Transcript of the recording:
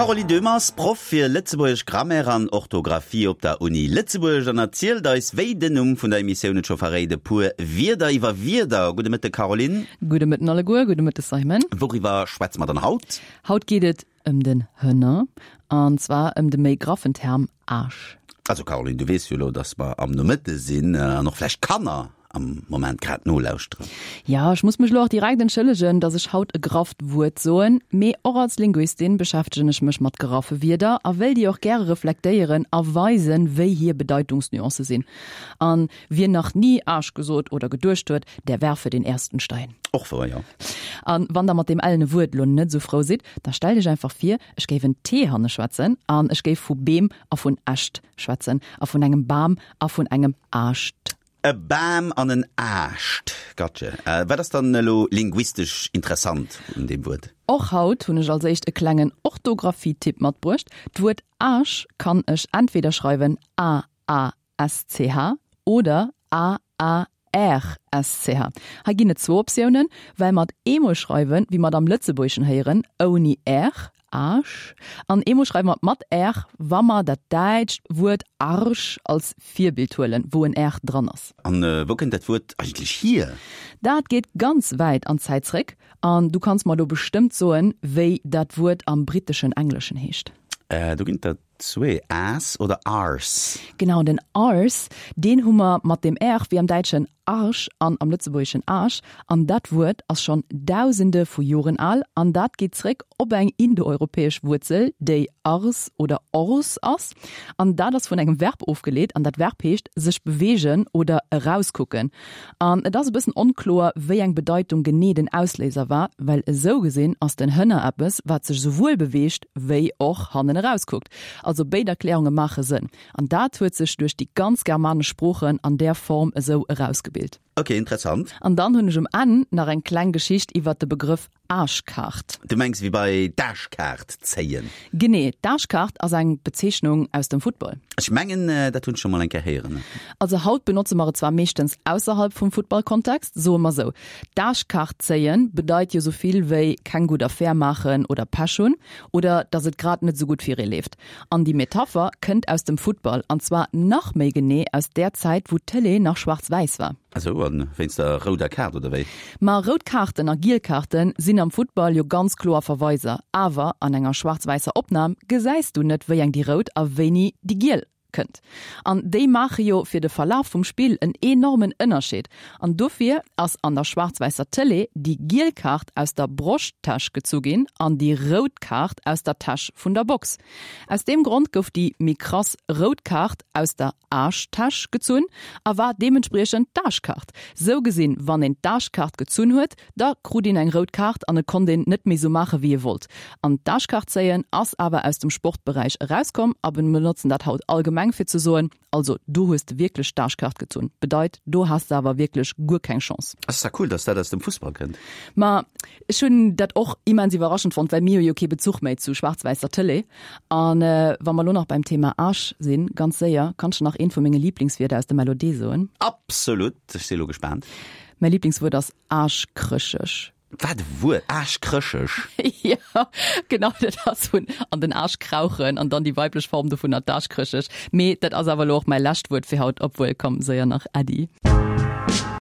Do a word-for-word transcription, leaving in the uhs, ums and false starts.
D'Caroline Döhmer ass Proff fir lëtzebuergesch Grammaire an Orthografie op der Uni Lëtzebuerg an erzielt eis, wéi den Numm vun der Emissioun et scho verréit, e puer Wierder iwwer Wierder. Gudde Mëtte Caroline. Gudde Mëtten alleguer, gudde Mëtte Simon. Wouriwwer schwätze mer dann haut? Haut geet et ëm den Hënner, an zwar ëm de méi graffen Term Aasch. Also Caroline, du weess jo elo, dass mer am Nomëtte sinn an och vläicht Kanner am Moment grad nolauschteren. Jo, ech muss mech elo och direkt entschëllegen, dass ech haut e grafft Wuert soen, mee och als Linguistin beschäftegen ech mech mat graffe Wierder a wëll déi och gäre reflektéieren a weisen, wéi hir Bedeitungsnuancë sinn. An wien nach ni Aasch gesot oder geduecht huet, der werfe den ersten Stein. Och wouer, jo. An wann der mat deem ellene Wuert elo net esou frou sidd, da stellt iech einfach vir, ech géif en T hanne schwätzen an ech géif vu Beem a vun Äscht schwätzen a vun engem Bam a vun engem Aascht. E Bam an en Aascht, gotche. Wat ass dann elo linguistesch interessant un deem Wuert? Och haut hunn ech als éischt e klengen Orthografie-Tipp matbruecht, D'Wuert Aasch kann ech entweder schreiwen A A S C H oder A A R S C H. Hei ginn et zwou Optiounen, well mer et eemol schreiwen, wéi mer et am Lëtzebuergeschen héieren, ouni R, Aasch, an eemol schreiwe mer et mat R, wa mer dat däitscht Wuert Arsch als Virbild huelen, wou en R dran ass. An wou kënnt dat Wuert eigentlech hier? Dat geet ganz wäit an d'Zäit zréck, an du kanns mer elo bestëmmt soen, wéi dat Wuert am britteschen Engleschen heescht. Do ginn et der zwee, Ass oder Arse. Genau, den Arse, deen hu mer mat dem R wéi am Däitschen Arsch an am Lëtzebuergeschen Aasch. An dat Wuert ass schonn Dausende vu Joren al an dat geet zréck op eng indoeuropäesch Wuerzel, déi ars oder ors ass. An dat ass vun engem Verb ofgeleet an dat Verb heescht sech beweegen oder erauskucken. An et ass e bëssen onkloer, wéi eng Bedeitung genee den Ausléiser war, well esou gesinn ass den Hënner eppes, wat sech esouwuel beweegt wéi och hannen erauskuckt. Also béid Erklärunge maache Sënn. An dat huet sech duerch déi ganz germanesch Sproochen an där Form esou erausgebilt. Ok, interessant. An dann hunn ech um Enn nach eng kleng Geschicht iwwert de Begrëff Aschkaart. Du mengs wéi bei d'Aschkaart zéien? Genee, d'Aschkaart ass eng Bezeechnung aus dem Football. Ech mengen, dat hunn ech scho mol eng Kéier héieren. Also haut benotze mer et zwar meeschtens ausserhalb vum Footballkontext, soe mer sou, d'Aschkaart zéien bedeit jo sou vill wéi keng gutt Affär maachen oder Pech hunn oder dass et grad net sou gutt fir ee leeft. An déi Metapher kënnt aus dem Football, an zwar nach méi genee aus där Zäit, wou d'Tëlee nach schwaarz-wäiss war. Esou, an wéinst der rouder Kaart, oder wéi? Ma rout Kaarten a giel Kaarten sinn am Futtball jo ganz kloer Verweiser, awer an enger schwaarz-wäisser Opnam gesäis du net, wéi eng déi rout a wéini déi giel kënnt. An déi maache jo fir de Verlaf vum Spill en enormen Ënnerscheed. An dofir ass an der schwaarz-wäisser Tëlee déi giel Kaart aus der Broschttäsch gezu ginn an déi rout Kaart aus der Täsch vun der Box. Aus deem Grond gouf déi méi krass rout Kaart aus der Aaschtäsch gezunn a war deementspriechend d'Aaschkaart. Sou gesinn, wann een d'Aaschkaart gezunn huet, da krut een eng rout Kaart an et konnt een net méi sou maache wéi ee wollt. An d'Aaschkaart zéien ass awer aus dem Sportberäich erauskomm a mir benotzen dat haut allgemeng fir ze soen, Also do hues de wierklech d'Aaschkaart gezunn, bedeit do has de awer wierklech guer keng Chance. Ass ja cool, dass dat aus dem Fussball kënnt. Ma ech hunn dat och immens iwwerraschend fonnt, well mir hu jo kee Bezuch méi zu schwaarz-wäisser Tëlee. An wa mer lo nach beim Thema Aasch sinn, ganz séier, kanns de nach eent vu menge Liblingswierder aus dem L O D soen? Absolut, ech si lo gespaant. Mäi Liblingswuert ass aaschkrëscheg. Wat e Wuert, aaschkrëscheg! Jo, genau, dat ass vun an den Aasch krauchen an dann déi weiblech Form dovunner, d'Aaschkrëscheg. Mee dat ass awer lo och mäi lescht Wuert fir haut, obwuel, komm, séier nach Äddi.